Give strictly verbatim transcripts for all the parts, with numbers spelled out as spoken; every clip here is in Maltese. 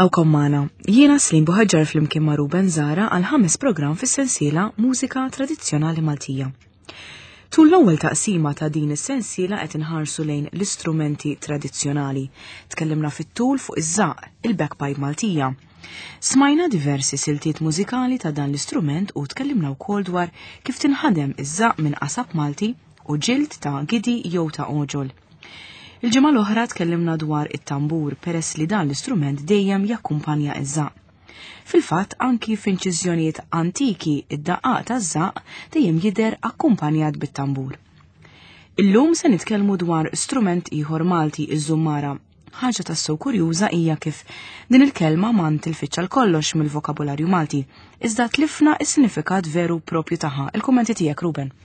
Nilqawkom magħna. Jiena Slim Buħaġġar flimkien ma' Ruben Zara għal ħames programm fis-sensiela Mużika Tradizzjonali Maltija. Tul l-ewwel taqsima ta' din is-sensiela qed inħarsu lejn l-istrumenti tradizzjonali. Tkellimna fit-tul fuq iż-żaq, il-bagpipe Maltija. Smajna diversi siltiet mużikali ta' dan l-istrument u tkellimna wkoll dwar kif tinħadem iż-żaq minn qasab Malti u ġild ta' gidi jew ta' oġol. Il-ġimgħa l-oħra tkellimna dwar it-tambur peress li dan l-istrument dejjem jakkumpanja iż-żaq. Fil-fatt anki f'inċiżjonijiet antiki id-daqqaq taż-żaq dejjem jidher akkumpanjat bit-tambur. Illum se nitkellmu dwar strument ieħor Malti iż-żummara. Ħaġa tassew kurjuża hija kif din il-kelma ma ntilfitx għal kollox mill-vokabularju Malti, iżda tlifna is-sinifikat veru propju tagħha. Il-kummenti tiegħek Ruben.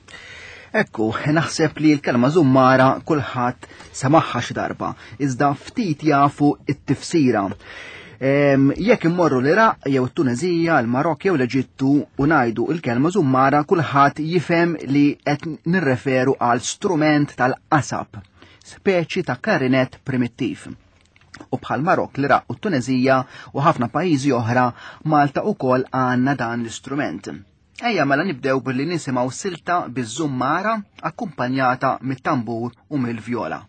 Ekku, naħseb li l-kelma żummara kulħadd semaħħa xi darba, iżda ftit jafu it-tifsira. Jekk immorru l-Iraq jew it-Tunezija, l-Marokk jew l-Eġittu u ngħidu l-kelma żummara kulħadd jifhem li qed nirreferu għal strument tal-qasab, speċi ta' klarinett primittiv. U bħal Marokk, l-Iraq u t-Tunezija u ħafna pajjiżi oħra, Malta wkoll għandna dan l-istrument. Ejja mela nibdew billi nisimgħu silta biż-żummara akkumpanjata mit-tambur u mill-vjola.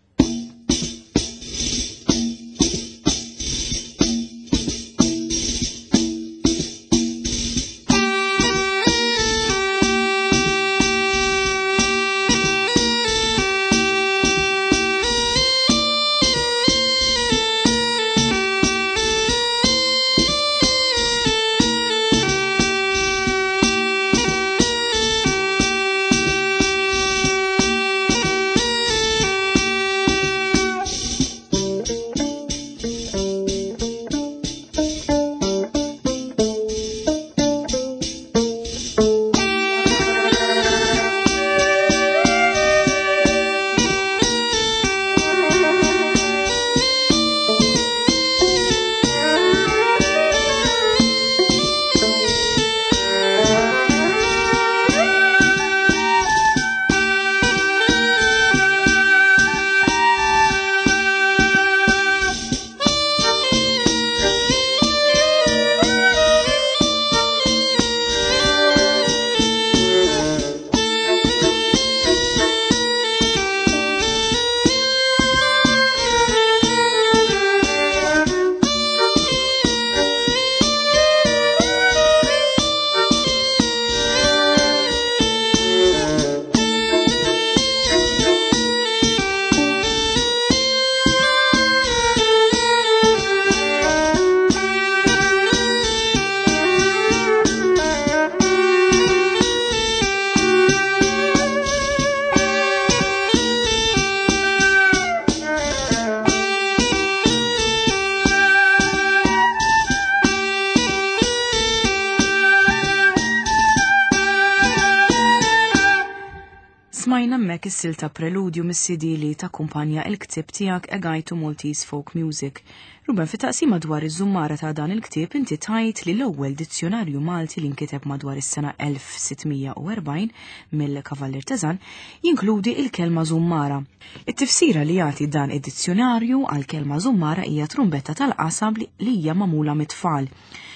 Smajna hemmhekk is-silta Preludju mis-C D li takkumpanja il-ktieb tiegħek A Guide to Maltese Folk Music. Ruben, fi taqsima dwar iż-żummara ta' dan il-ktieb inti tajt li l-ewwel dizzjonarju Malti li nkiteb madwar is-sena elf sitt mija u erbgħin mill-Kavallier Teżan jinkludi il-kelma żummara. It-tifsira li jagħti dan id-dizzjonarju għal kelma żummara hija trumbetta tal-qasab li hija magħmula mit-tfal.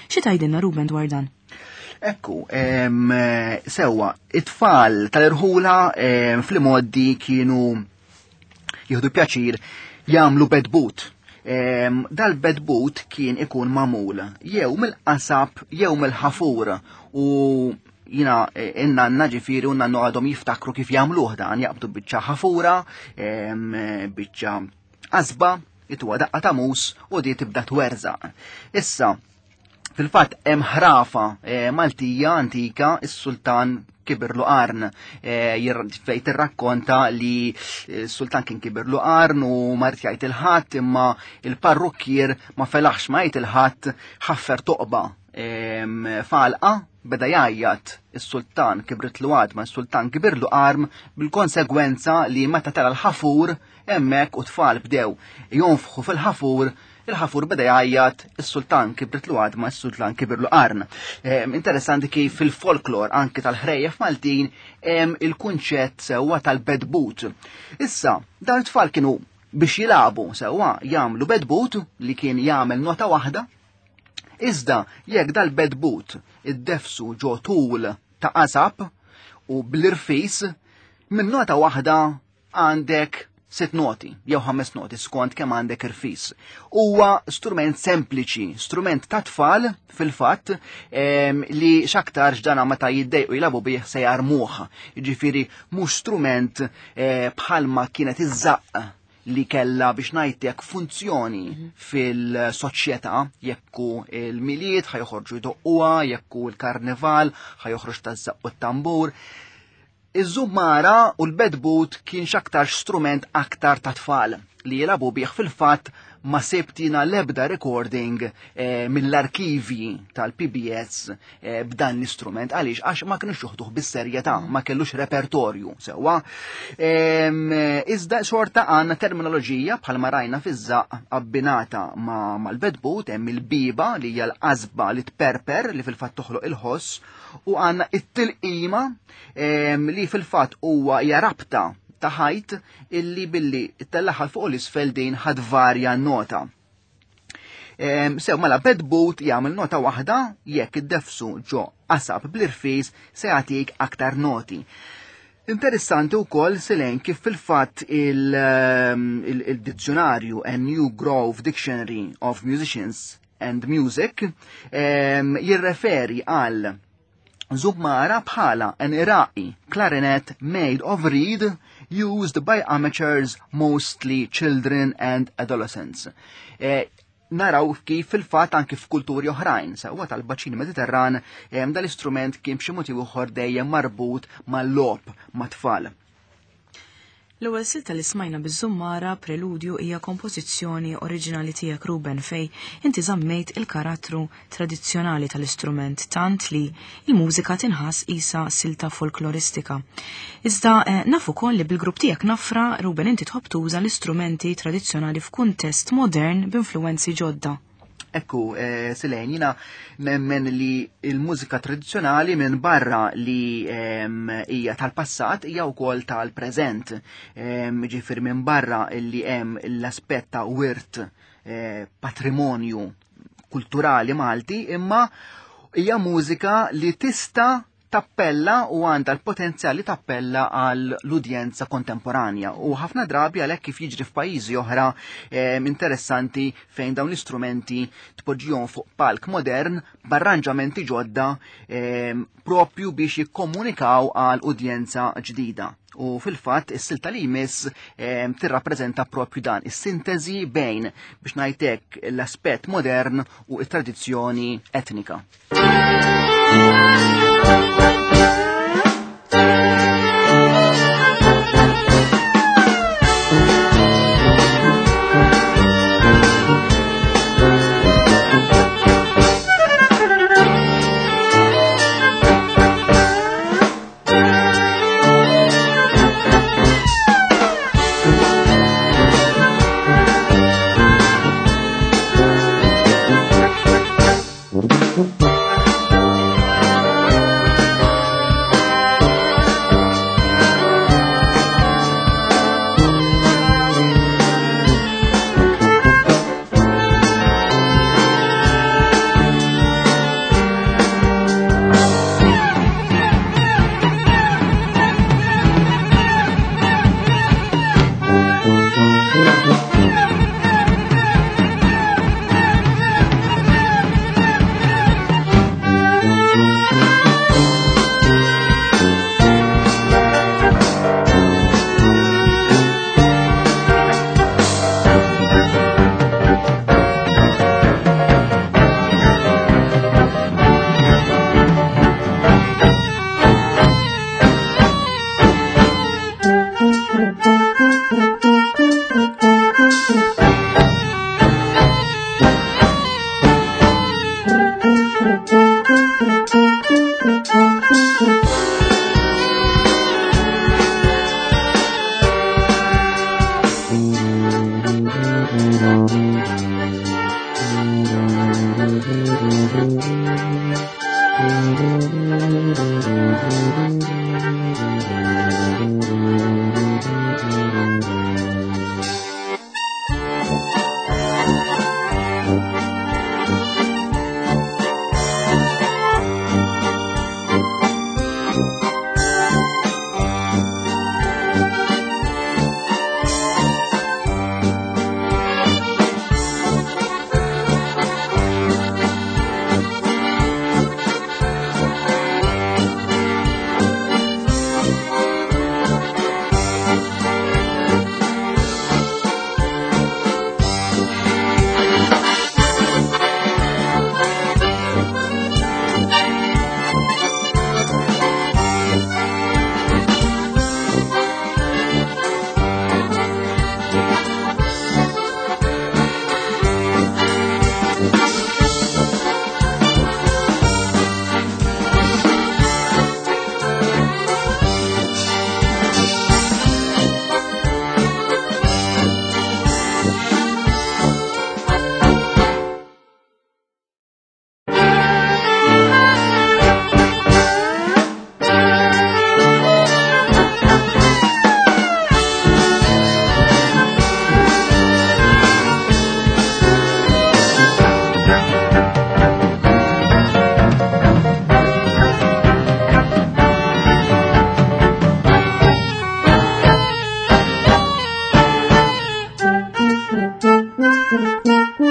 Xi tgħidilna, Ruben, dwar dan? Ekku, sewwa, it-tfal tal-irħula fl-modi kienu jieħdu pjaċir jagħmlu bedbut. Dal-bedbut kien ikun magħmul jew mill-qasab jew mill-ħafur u jina in-nanna ġifieri u nannu għadhom jiftakru kif jagħmluh dan, jaqbdu biċċa ħafura, biċċa qasba, jtuha daqqa ta' mus u di tibda twerżaq. Issa, fil-fatt hemm ħrafa eh, Maltija antika, is-sultan kibirlu qarn, eh, fejn tirrakkonta li s-sultan kien kibirlu qarn u ma jgħid il-ħadd, imma il-parrukkier ma felaħx ma jgħid il-ħadd, ħaffer toqba falqa, beda jgħajjat, "Is-sultan kibritlu għadma, is-sultan kibirlu qarn", bil-konsegwenza li meta tara l-ħafur hemmhekk u tfal bdew jonfħu fil-ħafur, il-ħafur beda jgħajjat, "Is-sultan kibritlu għadma, is-sultan kibirlu qarn". Interessanti kif fil-folklor anki tal-ħrejjef Maltin hemm il-kunċett sewwa tal-bedbut. Issa, dan it-tfal kienu biex jilagħbu sewwa jagħmlu bedbut li kien jagħmel nota waħda. Iżda jekk dal-bedbut id-defsu ġo tul ta' qasab u bl-irfis, minn nota waħda għandek sitt noti, jew ħames noti skont kemm għandek irfis. Huwa strument sempliċi, strument ta' tfal fil-fatt li x'aktarx dana meta jiddejqu jilagħbu bih se jarmuh. Jiġifieri mhux strument eh, bħalma kienet iż-żaqq li kella biex ngħidlek funzjoni fil-soċjetà, jekku il-Milied ħa joħorġu jdoqquha, jekku l-karnival ħa joħroġ taż-żaqq u t-tambur. Iż-żummara u l-bedbut kien x'aktar strument aktar ta' tfal li jilagħbu bih. Fil-fatt ma sebtina l-ebda recording eh, mill-arkivi tal-P B S eh, b'dan l-istrument. Għaliex? Għax ma kienux joħduh bis-serjetà, ma kellux repertorju sewwa. Iżda xorta għandna terminoloġija bħalma rajna fiż-żaqq abbinata ma' mal-bedbut, hemm il-biba li hija l-qasba li tperper li fil-fatt toħloq il-ħoss, u għandna it-tilqima li fil-fatt huwa hija rabta ta' ħajt illi billi ttellaħa fuq l-isfel din ħad varja nota. Sew mela bedbut jagħmel nota waħda, jekk id-defsu ġo qasab bl-irfis se jagħtik aktar noti. Interessanti wkoll Selene kif fil-fatt il-dizzjonarju A New Grove Dictionary of Musicians and Music jirreferi għal żummara bħala an Iraqi clarinet made of reed used by amateurs, mostly children and adolescents. E, naraw kif fil-fatt anki f'kulturi oħrajn, sewwa tal-baċin Mediterran, dal-istrument kien b'xi mod ieħor dejjem marbut mal-logħob mat-tfal. L-ewwel silta li smajna biż-żummara, Preludju, hija kompożizzjoni oriġinali tiegħek, Ruben, fej inti żammejt il-karattru tradizzjonali tal-istrument tant li il-mużika tinħass isa silta folkloristika. Iżda eh, naf ukoll li bil-grupp tiegħek Nafra, Ruben, inti tħobb tuża l-istrumenti tradizzjonali f'kuntest modern b'influwenzi ġodda. Ekku, eh, Selene, jina nemmen li il-mużika tradizzjonali minn barra li hija tal-passat hija wkoll tal-preżent. Ġifier minn barra li hemm l-aspett ta' wirt eh, patrimonju kulturali Malti, imma hija mużika li tista' tappella u għandha l-potenzjal li tappella għal l-udjenza kontemporanja. U ħafna drabi għalhekk kif jiġri f'pajjiżi oħra eh, interessanti fejn dawn l-istrumenti tpoġġihom fuq palk modern b'arranġamenti ġodda eh, propju biex jikkomunikaw għal udjenza ġdida. U fil-fatt is-silta li jmiss eh, tirrappreżenta propju dan, is-sintesi bejn biex ngħidlek l-aspett modern u t-tradizzjoni etnika.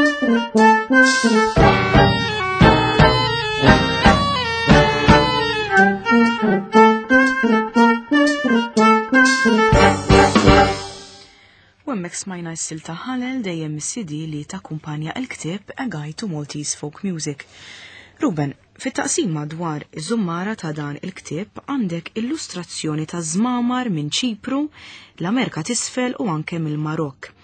U hemmhekk smajna s-silta Ħalel dejjem mis-C D li takkumpanja l-ktieb A Guide to Maltese Folk Music. Ruben, fit-taqsima dwar iż-żummara ta' dan il-ktieb għandek illustrazzjoni ta' żmamar minn Ċipru, l-Amerika t'Isfel u anke mill-Marokk.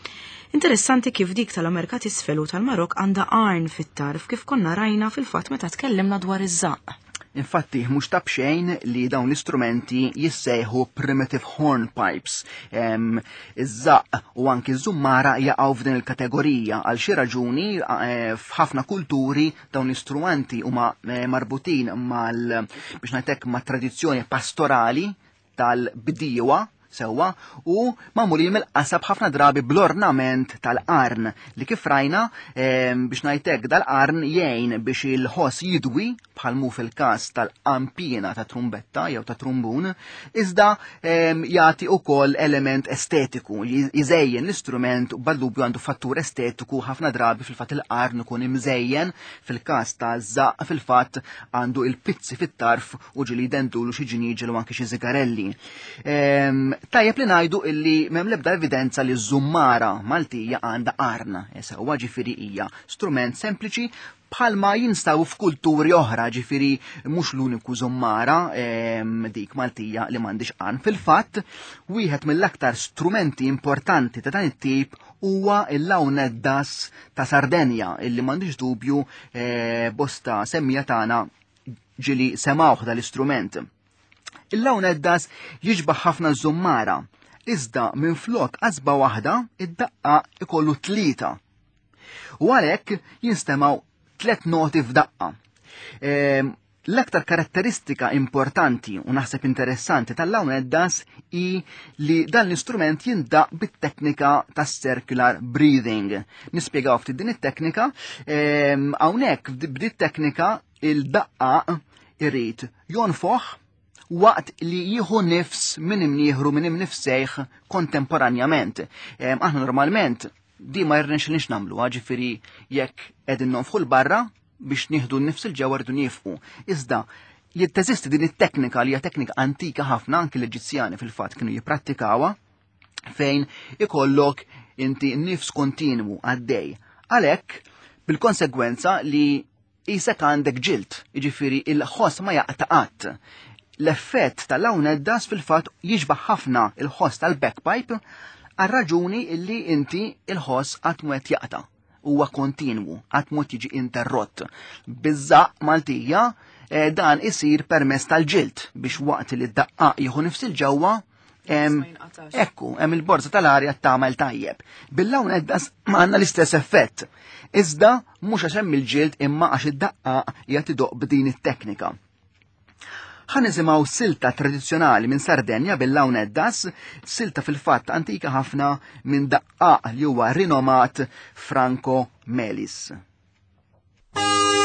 Interessanti kif dik tal-Amerika t'Isfel u tal-Marokk għandha qarn fit-tarf kif konna rajna fil-fatt meta tkellimna dwar iż-żaqq. Infatti, mhux ta' b'xejn li dawn l-istrumenti jissejħu primitive hornpipes. Em, iż-żaqq u anki ż-żummara jaqgħu f'din il-kategorija. Għal xi raġuni, eh, f'ħafna kulturi dawn l-istrumenti huma, eh, marbutin mal, biex ngħidlek, ma' tradizzjoni pastorali tal-bdiewa sewwa u magħmulin mill-qasab ħafna drabi bl-ornament tal-qarn li kif rajna, em, biex ngħidlek dal-qarn jgħin biex il-ħoss jidwi bħal mu fil-każ tal-qampina ta' trumbetta jew ta' trumbun, iżda, em, jagħti wkoll element estetiku, ji-, jżejjen l-istrument u bla dubju għandu fattur estetiku ħafna drabi fil-fatt il-qarn ikun imżejjen, fil-każ ta' żaqq fil-fatt għandu il-pizzi fit-tarf u ġili jdendulu xi ġiniġel u anke xi zigarelli. Em, tajjeb li ngħidu illi m'hemm l-ebda evidenza li ż-żummara Maltija għandha qarn, sewwa ġifieri hija strument sempliċi bħalma jinstabu f'kulturi oħra, ġifieri mhux l-uniku żummara, em, dik Maltija li m'għandix qarn. Fil-fatt, wieħed mill-aktar strumenti importanti ta' dan it-tip huwa il-launeddas ta' Sardenja, illi m'għandix dubju, eh, bosta semmija tagħna ġili semawh dal-istrument. Il-launeddas jiġbaħ ħafna żummara, iżda minflok qasba waħda id-daqqa ikollu tlieta. U għalhekk jinstemaw tliet noti f'daqqa. Ehm, l-aktar karatteristika importanti u naħseb interessanti tal-launeddas hi li dan l-istrument jindaq bit-teknika tas circular breathing. Nispjegaw ftit din it-teknika. Ehm, hawnhekk b'din it-teknika il-daqqa irid jonfoħ waqt li jieħu nifs minn imnieħru minn imnifsejh kontemporanjament. Ehm, aħna normalment di ma jirnexxilniex nagħmlu, ġifieri jekk qegħdin nonfħu l-barra biex nieħdu n-nifs il-ġewwa rridu niefqu. Iżda jitteżisti din it-teknika li hija teknika antika ħafna, anki l-Eġizzjani fil-fatt kienu jipprattikawha, fejn ikollok inti nifs kontinwu għaddej. Għalhekk bil-konsegwenza li isek għandek ġild, jiġifieri il-ħoss ma jaqta' qatt. L-effett tal-launeddas fil-fatt jiġbaħ ħafna il-ħoss tal-bagpipe għal raġuni illi inti il-ħoss qatt mu qed jaqta'. Huwa kontinwu, qatt mu qed jiġi interrott. Biż-żaqq Maltija, eh, dan isir permezz tal-ġild biex waqt li d-daqqaq jieħu nifs il-ġewwa, em, Ma jinqatax. ekku, hemm il-borza tal-arja tagħmel tajjeb. Bil-launeddas ma għandna l-istess effett. Iżda mhux għax hemm il-ġild imma għax id-daqqaq qiegħed idoqq b'din it-teknika. Ħa nisimgħu silta tradizzjonali minn Sardenja bil-launeddas, silta fil-fatt antika ħafna minn daqqaq li huwa rinomat Franco Melis. Thank you.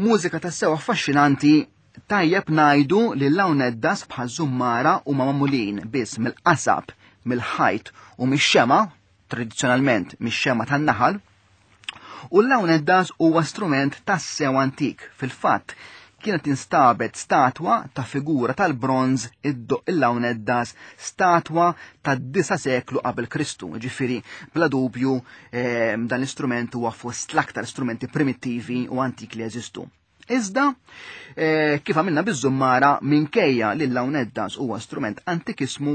Mużika tassew affaxxinanti. Tajjeb ngħidu li l-launeddas bħal żummara huma magħmulin biss mill-qasab, mill-ħajt u mix-xema, tradizzjonalment mix-xema tan-naħal. U l-launeddas huwa strument tassew antik. Fil-fatt, kienet instabet statwa ta' figura tal-bronz iddoqq il-launeddas, statwa tad-disa' seklu qabel Kristu. Ġifieri, bla dubju, eh, dan l-istrument huwa fost l-aktar strumenti primittivi u antik li jeżistu. Iżda, eh, kif għamilna biż-żummara, minkejja li l-launeddas huwa strument antikismu,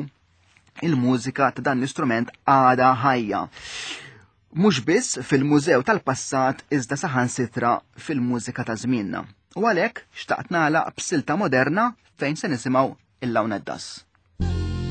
il-mużika ta' dan l-istrument għada ħajja. Mhux biss fil-mużew tal-passat iżda saħansitra fil-mużika ta' żmienna. U għalhekk xtaqt nagħlaq b'silta moderna fejn se nisimgħu il-launeddas. Thank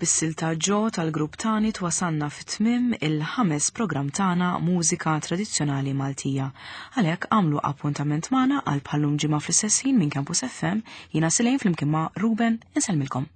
Bis-silta Ġo tal-grupp Tanit wasalna fit-tmiem il-ħames programm tagħna Mużika Tradizzjonali Maltija. Għalhekk għamlu appuntament magħna għal bħal-lum ġimgħa fl-istess ħin minn Campus F M, jiena Silejn flimkien ma' Ruben insellmilkom.